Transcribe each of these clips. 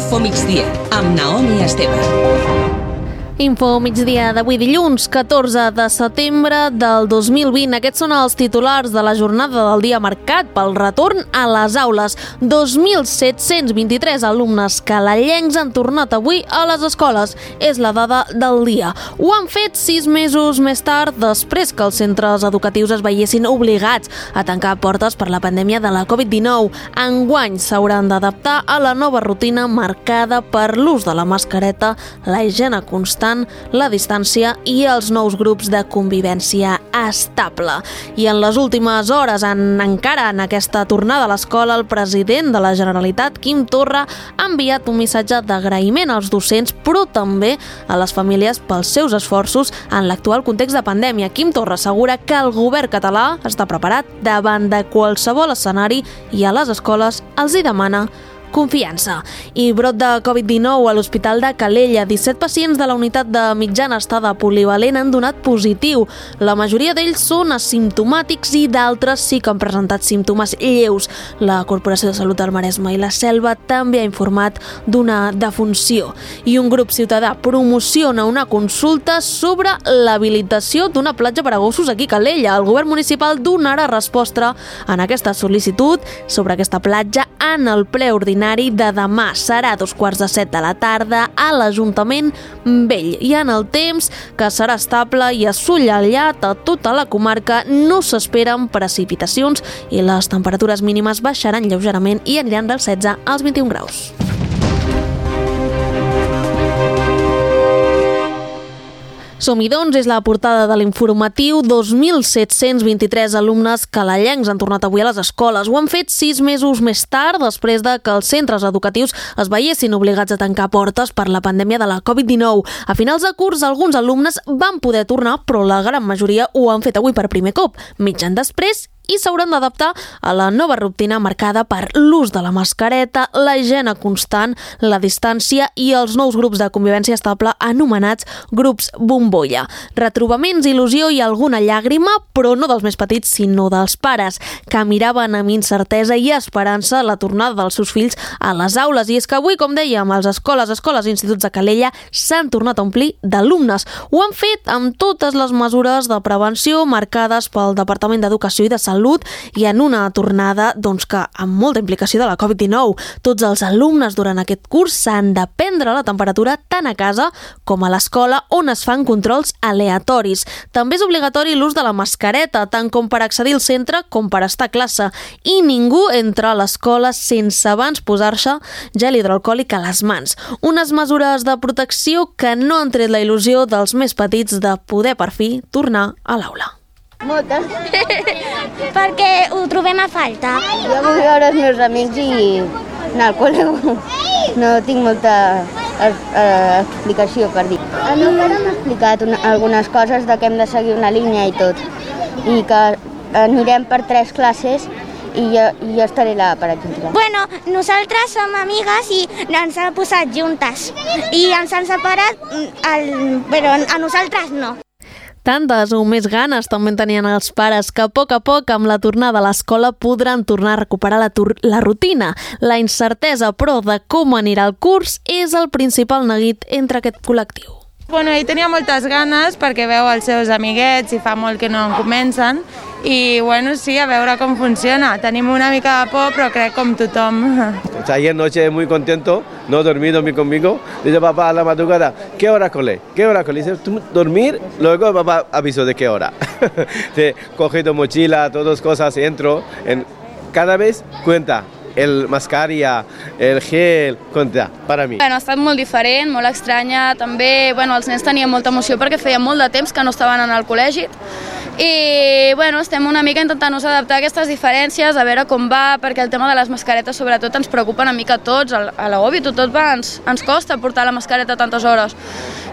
Info Migdia, amb Naomi Esteve. Info Migdia d'avui dilluns, 14 de setembre del 2020. Aquests són els titulars de la jornada del dia marcat pel retorn a les aules. 2.723 alumnes calellencs han tornat avui a les escoles. És la dada del dia. Ho han fet 6 mesos més tard, després que els centres educatius es veiessin obligats a tancar portes per la pandèmia de la Covid-19. Enguany s'hauran d'adaptar a la nova rutina marcada per l'ús de la mascareta, la higiene constant, la distància i els nous grups de convivència estable. I en les últimes hores, encara en aquesta tornada a l'escola, el president de la Generalitat, Quim Torra, ha enviat un missatge d'agraïment als docents, però també a les famílies pels seus esforços en l'actual context de pandèmia. Quim Torra assegura que el govern català està preparat davant de qualsevol escenari i a les escoles els hi demana confiança. I brot de Covid-19 a l'Hospital de Calella. 17 pacients de la unitat de mitjana estada polivalent han donat positiu. La majoria d'ells són asimptomàtics i d'altres sí que han presentat símptomes lleus. La Corporació de Salut del Maresme i la Selva també ha informat d'una defunció. I un grup ciutadà promociona una consulta sobre l'habilitació d'una platja per a gossos aquí a Calella. El govern municipal donarà resposta en aquesta sol·licitud sobre aquesta platja en el ple ordinari de demà. Serà a 2:15 de la tarda a l'Ajuntament Vell. I en el temps, que serà estable i assolellat a tota la comarca, no s'esperen precipitacions i les temperatures mínimes baixaran lleugerament i aniran dels 16 als 21 graus. Som-hi, doncs, és la portada de l'informatiu. 2.723 alumnes calellencs han tornat avui a les escoles. Ho han fet 6 mesos més tard, després de que els centres educatius es veiessin obligats a tancar portes per la pandèmia de la Covid-19. A finals de curs, alguns alumnes van poder tornar, però la gran majoria ho han fet avui per primer cop. Mig any després, i s'hauran d'adaptar a la nova rutina marcada per l'ús de la mascareta, la higiene constant, la distància i els nous grups de convivència estable anomenats grups bombolla. Retrobaments, il·lusió i alguna llàgrima, però no dels més petits, sinó dels pares, que miraven amb incertesa i esperança la tornada dels seus fills a les aules. I és que avui, com dèiem, les escoles i instituts de Calella s'han tornat a omplir d'alumnes. Ho han fet amb totes les mesures de prevenció marcades pel Departament d'Educació i de Salut i en una tornada que amb molta implicació de la Covid-19. Tots els alumnes durant aquest curs s'han de prendre la temperatura tant a casa com a l'escola, on es fan controls aleatoris. També és obligatori l'ús de la mascareta, tant com per accedir al centre com per estar a classe, i ningú entra a l'escola sense abans posar-se gel hidroalcohòlic a les mans. Unes mesures de protecció que no han tret la il·lusió dels més petits de poder per fi tornar a l'aula. Moltes. Perquè ho trobem a falta. Jo vull veure els meus amics i anar al col·le. No tinc molta explicació per dir. El meu pare m'ha explicat algunes coses de que hem de seguir una línia i tot. I que anirem per 3 classes i jo estaré allà, per exemple. Bueno, nosaltres som amigues i ens han posat juntes. I ens han separat, però a nosaltres no. Tantes o més ganes també tenien els pares que a poc, amb la tornada a l'escola, podran tornar a recuperar la rutina. La incertesa, però, de com anirà el curs és el principal neguit entre aquest col·lectiu. Bueno, ell tenia moltes ganes perquè veu els seus amiguets i fa molt que no en comencen i bueno, sí, a veure com funciona. Tenim una mica de por, però crec com tothom. Ayer noche muy contento, no dormí conmigo. Dice papá a la madrugada, ¿qué hora cole? ¿Qué hora cole? Dice, ¿tú dormir? Luego papá avisó de qué hora. Coge tu mochila, todas cosas, entro. Cada vez cuenta. El mascarilla, el gel, compta, per a mi. Ha estat molt diferent, molt estranya, també els nens tenien molta emoció perquè feia molt de temps que no estaven en el col·legi i estem una mica intentant-nos adaptar a aquestes diferències, a veure com va, perquè el tema de les mascaretes sobretot ens preocupa una mica a tots, a l'OBI tot ens costa portar la mascareta tantes hores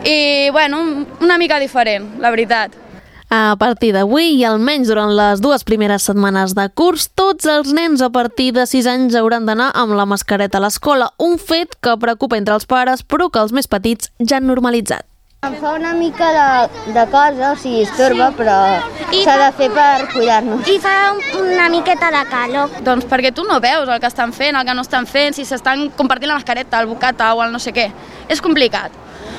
i una mica diferent, la veritat. A partir d'avui i almenys durant les 2 primeres setmanes de curs, tots els nens a partir de 6 anys hauran d'anar amb la mascareta a l'escola, un fet que preocupa entre els pares però que els més petits ja han normalitzat. Em fa una mica de cosa, o sigui, estorba, però s'ha de fer per cuidar-nos. I fa una miqueta de calor. Doncs perquè tu no veus el que estan fent, el que no estan fent, si s'estan compartint la mascareta, el bocata o el no sé què. És complicat.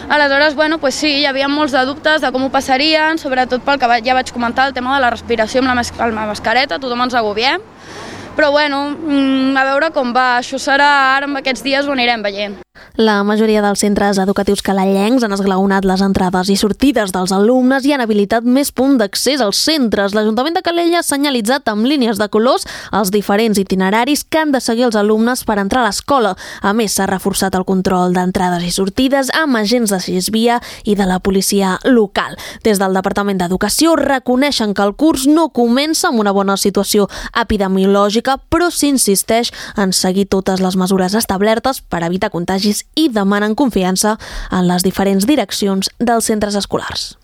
Aleshores, bueno, pues sí, hi havia molts de dubtes de com ho passarien, sobretot pel que ja vaig comentar, el tema de la respiració amb la mascareta, tothom ens agobiem. Però bueno, a veure com va. Això serà ara, amb aquests dies ho anirem veient. La majoria dels centres educatius calellencs han esglaonat les entrades i sortides dels alumnes i han habilitat més punts d'accés als centres. L'Ajuntament de Calella ha senyalitzat amb línies de colors els diferents itineraris que han de seguir els alumnes per entrar a l'escola. A més, s'ha reforçat el control d'entrades i sortides amb agents de Sisvia i de la policia local. Des del Departament d'Educació reconeixen que el curs no comença amb una bona situació epidemiològica, però s'insisteix en seguir totes les mesures establertes per evitar contagis i demanen confiança en les diferents direccions dels centres escolars.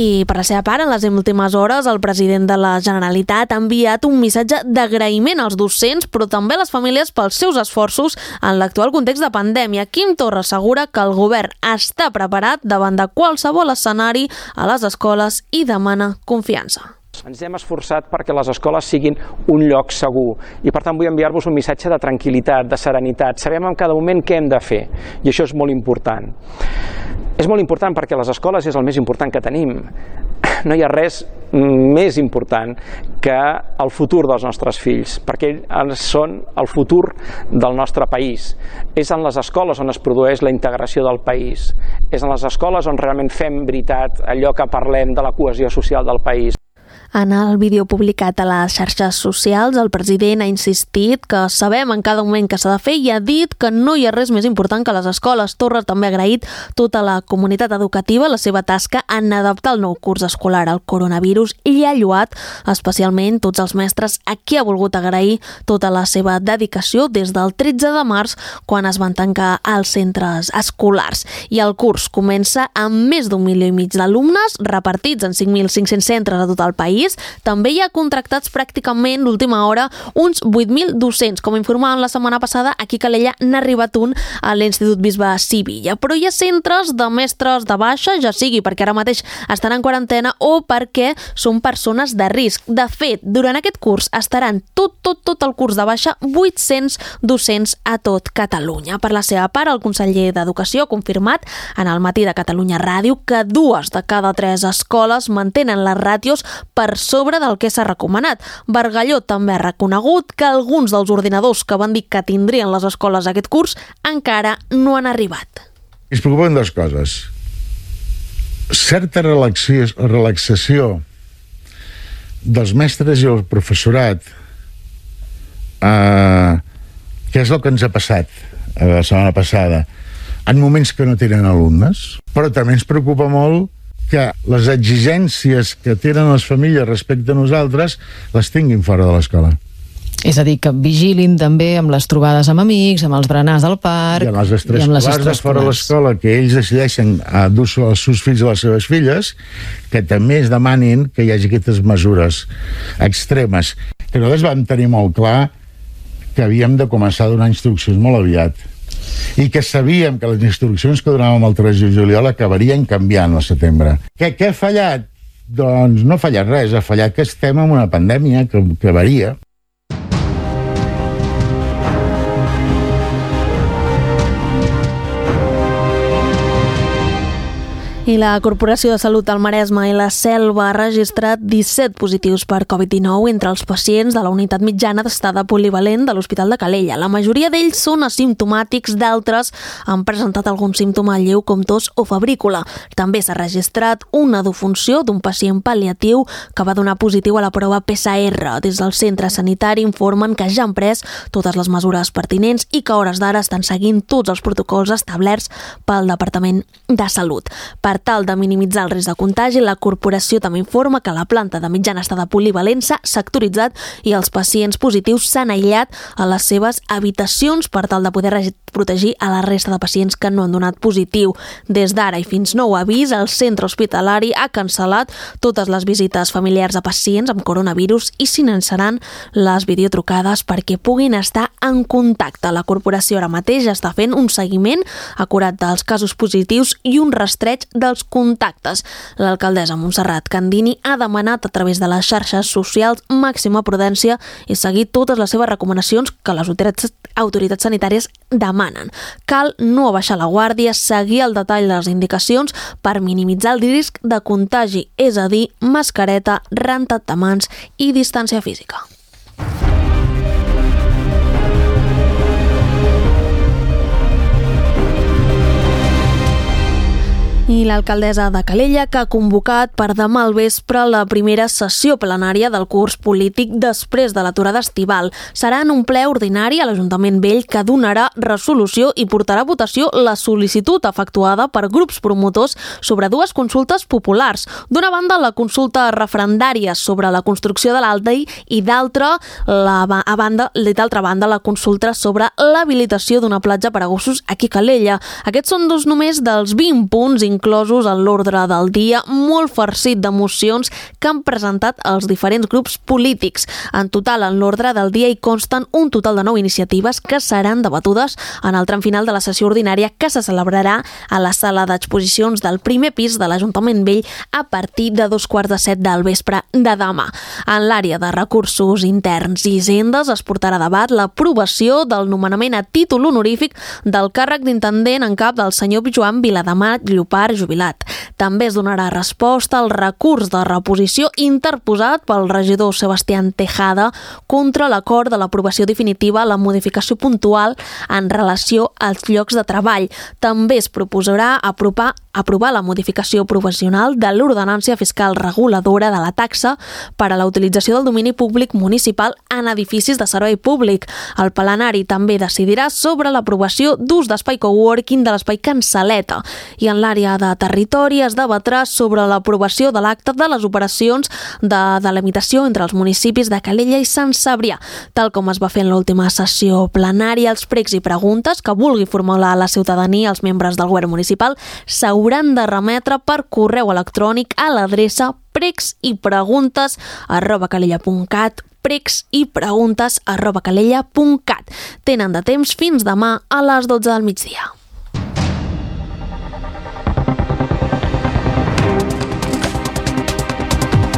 I per la seva part, en les últimes hores, el president de la Generalitat ha enviat un missatge d'agraïment als docents, però també a les famílies pels seus esforços en l'actual context de pandèmia. Quim Torra assegura que el govern està preparat davant de qualsevol escenari a les escoles i demana confiança. Ens hem esforçat perquè les escoles siguin un lloc segur i per tant vull enviar-vos un missatge de tranquil·litat, de serenitat. Sabem en cada moment què hem de fer i això és molt important. És molt important perquè les escoles és el més important que tenim. No hi ha res més important que el futur dels nostres fills, perquè ells són el futur del nostre país. És en les escoles on es produeix la integració del país. És en les escoles on realment fem veritat allò que parlem de la cohesió social del país. En el vídeo publicat a les xarxes socials, el president ha insistit que sabem en cada moment què s'ha de fer i ha dit que no hi ha res més important que les escoles. Torra també ha agraït tota la comunitat educativa la seva tasca en adaptar el nou curs escolar al coronavirus i ha lloat especialment tots els mestres a qui ha volgut agrair tota la seva dedicació des del 13 de març, quan es van tancar els centres escolars. I el curs comença amb més d'1,5 milió d'alumnes repartits en 5.500 centres a tot el país. També hi ha contractats pràcticament d'última hora uns 8.000 docents. Com informàvem la setmana passada, aquí a Calella n'ha arribat un a l'Institut Bisbe Sivilla. Però hi ha centres de mestres de baixa, ja sigui perquè ara mateix estan en quarantena o perquè són persones de risc. De fet, durant aquest curs estaran tot el curs de baixa 800 docents a tot Catalunya. Per la seva part, el conseller d'Educació ha confirmat en el Matí de Catalunya Ràdio que 2 de cada 3 escoles mantenen les ràtios per sobre del que s'ha recomanat. Bargalló també ha reconegut que alguns dels ordinadors que van dir que tindrien les escoles aquest curs encara no han arribat. Es preocupen 2 coses. Certa relaxació dels mestres i el professorat, que és el que ens ha passat la setmana passada, en moments que no tenen alumnes, però també ens preocupa molt que les exigències que tenen les famílies respecte a nosaltres les tinguin fora de l'escola. És a dir, que vigilin també amb les trobades amb amics, amb els berenars del parc... I amb les extraescolars de fora de l'escola, que ells decideixen dur els seus fills o les seves filles, que també es demanin que hi hagi aquestes mesures extremes. Que nosaltres vam tenir molt clar que havíem de començar a donar instruccions molt aviat. I que sabíem que les instruccions que donàvem el 3 de juliol acabarien canviant al setembre. Què ha fallat? Doncs no ha fallat res, ha fallat que estem en una pandèmia que varia. I la Corporació de Salut del Maresme i la Selva ha registrat 17 positius per Covid-19 entre els pacients de la unitat mitjana d'estada polivalent de l'Hospital de Calella. La majoria d'ells són asimptomàtics, d'altres han presentat algun símptoma lleu com tos o febrícula. També s'ha registrat una defunció d'un pacient pal·liatiu que va donar positiu a la prova PCR. Des del centre sanitari informen que ja han pres totes les mesures pertinents i que a hores d'ara estan seguint tots els protocols establerts pel Departament de Salut. Per Per tal de minimitzar el risc de contagi, la corporació també informa que la planta de mitjana estada polivalent s'ha sectoritzat i els pacients positius s'han aïllat a les seves habitacions per tal de poder protegir a la resta de pacients que no han donat positiu. Des d'ara i fins nou avís, el centre hospitalari ha cancel·lat totes les visites familiars a pacients amb coronavirus i s'iniciaran les videotrucades perquè puguin estar en contacte. La corporació ara mateix està fent un seguiment acurat dels casos positius i un rastreig dels contactes. L'alcaldessa Montserrat Candini ha demanat a través de les xarxes socials màxima prudència i seguir totes les seves recomanacions que les autoritats sanitàries demanen. Cal no abaixar la guàrdia, seguir el detall de les indicacions per minimitzar el risc de contagi, és a dir, mascareta, rentat de mans i distància física. I l'alcaldessa de Calella, que ha convocat per demà al vespre la primera sessió plenària del curs polític després de l'aturada estival. Serà en un ple ordinari a l'Ajuntament Vell que donarà resolució i portarà a votació la sol·licitud efectuada per grups promotors sobre dues consultes populars. D'una banda, la consulta referendària sobre la construcció de l'Aldei i d'altra banda, la consulta sobre l'habilitació d'una platja per a gossos aquí a Calella. Aquests són dos només dels 20 punts inclosos en l'ordre del dia, molt farcit d'emocions que han presentat els diferents grups polítics. En total, en l'ordre del dia hi consten un total de 9 iniciatives que seran debatudes en el tram final de la sessió ordinària que se celebrarà a la sala d'exposicions del primer pis de l'Ajuntament Vell a partir de 2:15 del vespre de demà. En l'àrea de recursos interns i hisendes es portarà a debat l'aprovació del nomenament a títol honorífic del càrrec d'intendent en cap del senyor Joan Vilademat Llopart, jubilat. També es donarà resposta al recurs de reposició interposat pel regidor Sebastián Tejada contra l'acord de l'aprovació definitiva a la modificació puntual en relació als llocs de treball. També es proposarà aprovar la modificació provisional de l'ordenància fiscal reguladora de la taxa per a la utilització del domini públic municipal en edificis de servei públic. El plenari també decidirà sobre l'aprovació d'ús d'espai coworking de l'espai Cansaleta i en l'àrea de territori es debatrà sobre l'aprovació de l'acte de les operacions de delimitació entre els municipis de Calella i Sant Cebrià. Tal com es va fer en l'última sessió plenària, els pregs i preguntes que vulgui formular la ciutadania als membres del govern municipal s'hauran de remetre per correu electrònic a l'adreça pregsipreguntes@calella.cat pregsipreguntes@calella.cat. Tenen de temps fins demà a les 12 del migdia.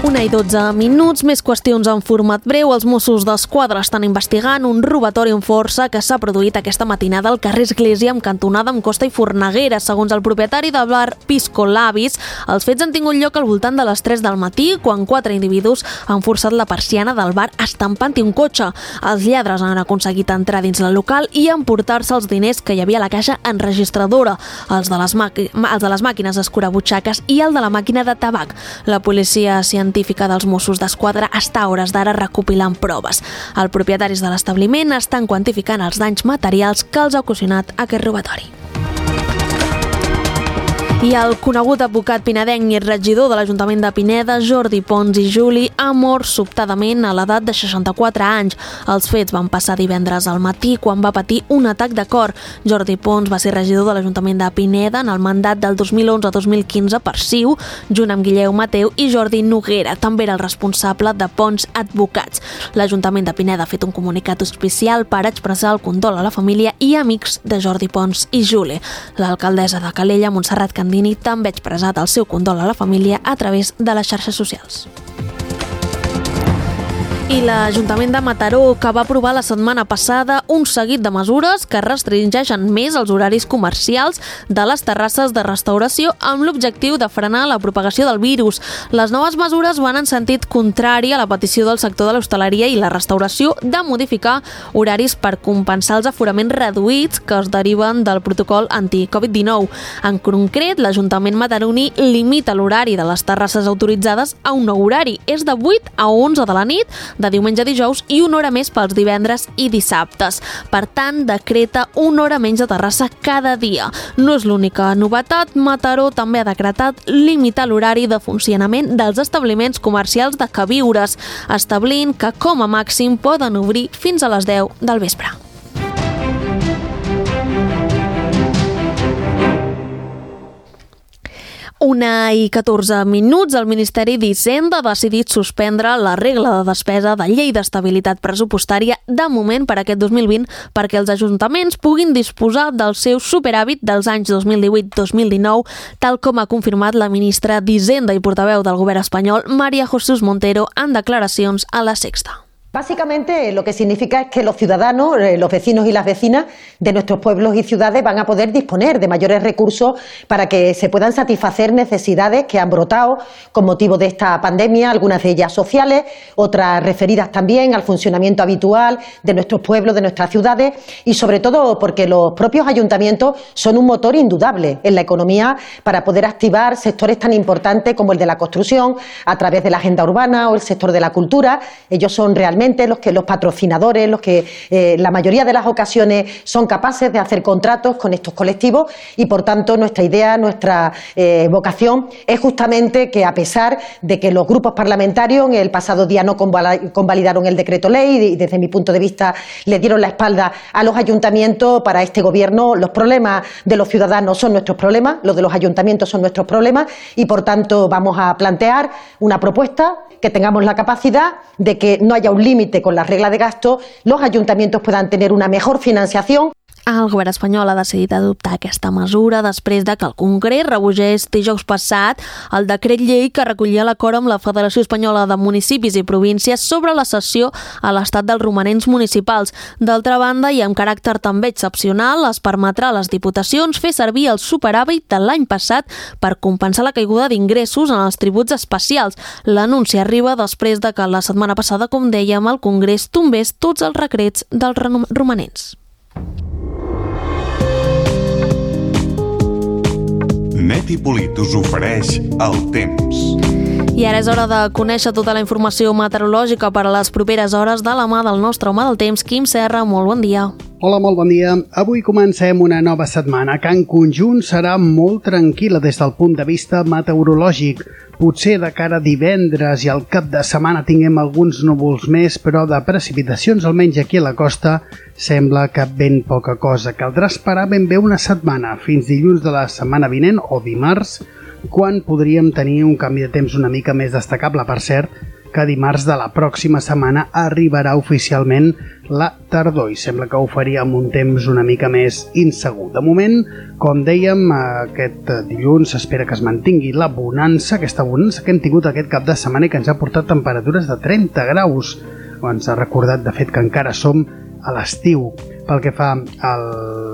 1:12, més qüestions en format breu. Els Mossos d'Esquadra estan investigant un robatori amb força que s'ha produït aquesta matinada al carrer Església amb cantonada amb Costa i Forneguera. Segons el propietari del bar Pisco Labis, els fets han tingut lloc al voltant de les 3 del matí, quan 4 individus han forçat la persiana del bar estampant-hi un cotxe. Els lladres han aconseguit entrar dins el local i emportar-se els diners que hi havia a la caixa enregistradora, els de les màquines escurabutxaques i el de la màquina de tabac. La policia científica dels Mossos d'Esquadra està a hores d'ara recopilant proves. Els propietaris de l'establiment estan quantificant els danys materials que els ha ocasionat aquest robatori. I el conegut advocat pinedenc i regidor de l'Ajuntament de Pineda, Jordi Pons i Juli, ha mort sobtadament a l'edat de 64 anys. Els fets van passar divendres al matí quan va patir un atac de cor. Jordi Pons va ser regidor de l'Ajuntament de Pineda en el mandat del 2011 a 2015 per CiU, junt amb Guilleu Mateu i Jordi Noguera. També era el responsable de Pons Advocats. L'Ajuntament de Pineda ha fet un comunicat oficial per expressar el condol a la família i amics de Jordi Pons i Juli. L'alcaldessa de Calella, Montserrat Candini, també ha expressat el seu condol a la família a través de les xarxes socials. I l'Ajuntament de Mataró, que va aprovar la setmana passada un seguit de mesures que restringeixen més els horaris comercials de les terrasses de restauració amb l'objectiu de frenar la propagació del virus. Les noves mesures van en sentit contrari a la petició del sector de l'hostaleria i la restauració de modificar horaris per compensar els aforaments reduïts que es deriven del protocol anti-Covid-19. En concret, l'Ajuntament mataroní limita l'horari de les terrasses autoritzades a un nou horari. És de 8 a 11 de la nit de diumenge a dijous i una hora més pels divendres i dissabtes. Per tant, decreta una hora menys de terrassa cada dia. No és l'única novetat, Mataró també ha decretat limitar l'horari de funcionament dels establiments comercials de queviures, establint que com a màxim poden obrir fins a les 10 del vespre. Una i 14 minuts, el Ministeri d'Hisenda ha decidit suspendre la regla de despesa de llei d'estabilitat pressupostària de moment per aquest 2020 perquè els ajuntaments puguin disposar del seu superàvit dels anys 2018-2019, tal com ha confirmat la ministra d'Hisenda i portaveu del govern espanyol, María Jesús Montero, en declaracions a La Sexta. Básicamente lo que significa es que los ciudadanos, los vecinos y las vecinas de nuestros pueblos y ciudades van a poder disponer de mayores recursos para que se puedan satisfacer necesidades que han brotado con motivo de esta pandemia, algunas de ellas sociales, otras referidas también al funcionamiento habitual de nuestros pueblos, de nuestras ciudades y sobre todo porque los propios ayuntamientos son un motor indudable en la economía para poder activar sectores tan importantes como el de la construcción a través de la agenda urbana o el sector de la cultura. Ellos son realmente los patrocinadores, los que la mayoría de las ocasiones son capaces de hacer contratos con estos colectivos y por tanto nuestra idea, nuestra vocación es justamente que a pesar de que los grupos parlamentarios en el pasado día no convalidaron el decreto ley y desde mi punto de vista le dieron la espalda a los ayuntamientos, para este gobierno los problemas de los ciudadanos son nuestros problemas, los de los ayuntamientos son nuestros problemas y por tanto vamos a plantear una propuesta que tengamos la capacidad de que no haya un límite con las reglas de gasto, los ayuntamientos puedan tener una mejor financiación. El govern espanyol ha decidit adoptar aquesta mesura després de que el Congrés rebutgés dijous passat el decret llei que recollia l'acord amb la Federació Espanyola de Municipis i Províncies sobre la cessió a l'estat dels romanents municipals. D'altra banda, i amb caràcter també excepcional, es permetrà a les diputacions fer servir el superàvit de l'any passat per compensar la caiguda d'ingressos en els tributs especials. L'anunci arriba després de que la setmana passada, com dèiem, el Congrés tombés tots els decrets dels romanents. Net i Polit us ofereix el temps. I ara és hora de conèixer tota la informació meteorològica per a les properes hores de la mà del nostre home del temps, Quim Serra. Molt bon dia. Hola, molt bon dia. Avui comencem una nova setmana que en conjunt serà molt tranquil·la des del punt de vista meteorològic. Potser de cara a divendres i al cap de setmana tinguem alguns núvols més, però de precipitacions, almenys aquí a la costa, sembla que ben poca cosa. Caldrà esperar ben bé una setmana, fins dilluns de la setmana vinent o dimarts, quan podríem tenir un canvi de temps una mica més destacable. Per cert, que dimarts de la pròxima setmana arribarà oficialment la tardor i sembla que ho faria amb un temps una mica més insegur. De moment, com dèiem, aquest dilluns s'espera que es mantingui la bonança, aquesta bonança que hem tingut aquest cap de setmana i que ens ha portat temperatures de 30 graus. Ens ha recordat, de fet, que encara som a l'estiu. Pel que fa a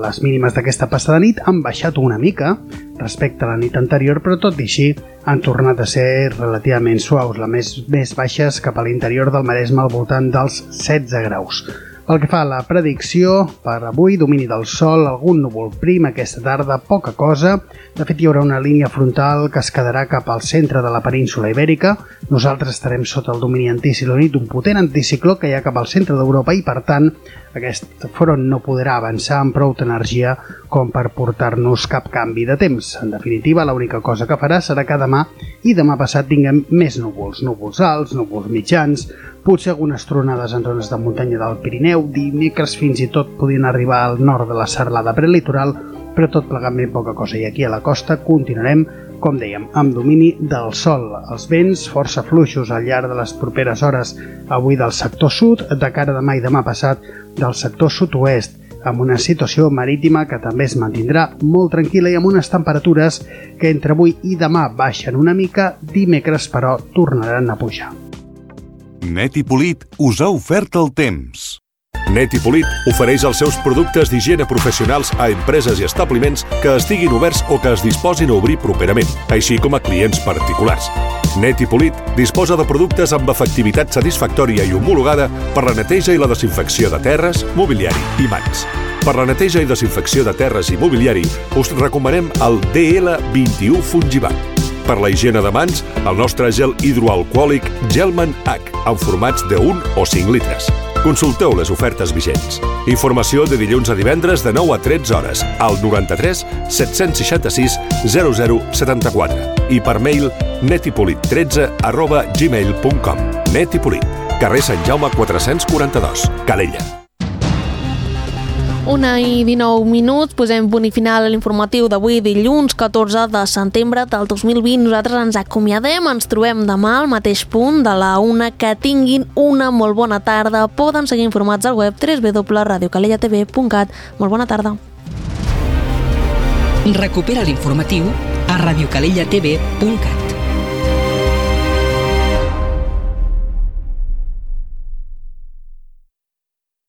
les mínimes d'aquesta passada nit, han baixat una mica respecte a la nit anterior, però tot i així han tornat a ser relativament suaus, les més baixes cap a l'interior del Maresme al voltant dels 16 graus. Pel que fa a la predicció, per avui, domini del sol, algun núvol prim aquesta tarda, poca cosa. De fet, hi haurà una línia frontal que es quedarà cap al centre de la península Ibèrica. Nosaltres estarem sota el domini anticiclònic d'un potent anticicló que hi ha cap al centre d'Europa i, per tant, aquest front no podrà avançar amb prou energia com per portar-nos cap canvi de temps. En definitiva, l'única cosa que farà serà que demà i demà passat tinguem més núvols. Núvols alts, núvols mitjans, potser algunes tronades en zones de muntanya del Pirineu, dimecres fins i tot podien arribar al nord de la serralada prelitoral, però tot plegant ben poca cosa. I aquí a la costa continuarem, com dèiem, amb domini del sol. Els vents força fluixos al llarg de les properes hores, avui del sector sud, de cara a demà i demà passat del sector sud-oest, amb una situació marítima que també es mantindrà molt tranquil·la i amb unes temperatures que entre avui i demà baixen una mica, dimecres però tornaran a pujar. Net i Polit us ha ofert el temps. Net i Polit ofereix els seus productes d'higiene professionals a empreses i establiments que estiguin oberts o que es disposin a obrir properament, així com a clients particulars. Net i Polit disposa de productes amb efectivitat satisfactòria i homologada per la neteja i la desinfecció de terres, mobiliari i mans. Per la neteja i desinfecció de terres i mobiliari us recomanem el DL21 Fungibat. Per la higiene de mans, el nostre gel hidroalcohòlic Gelman H, en formats de 1 o 5 litres. Consulteu les ofertes vigents. Informació de dilluns a divendres de 9 a 13 hores al 93 766 0074 i per mail netipolit13@gmail.com. Netipolit, carrer Sant Jaume 442, Calella. 1:19, posem punt i final a l'informatiu d'avui, dilluns 14 de setembre del 2020. Nosaltres ens acomiadem, ens trobem demà al mateix punt de la 1. Que tinguin una molt bona tarda. Poden seguir informats al web www.radiocalellatv.cat. Molt bona tarda. Recupera l'informatiu a radiocalellatv.cat.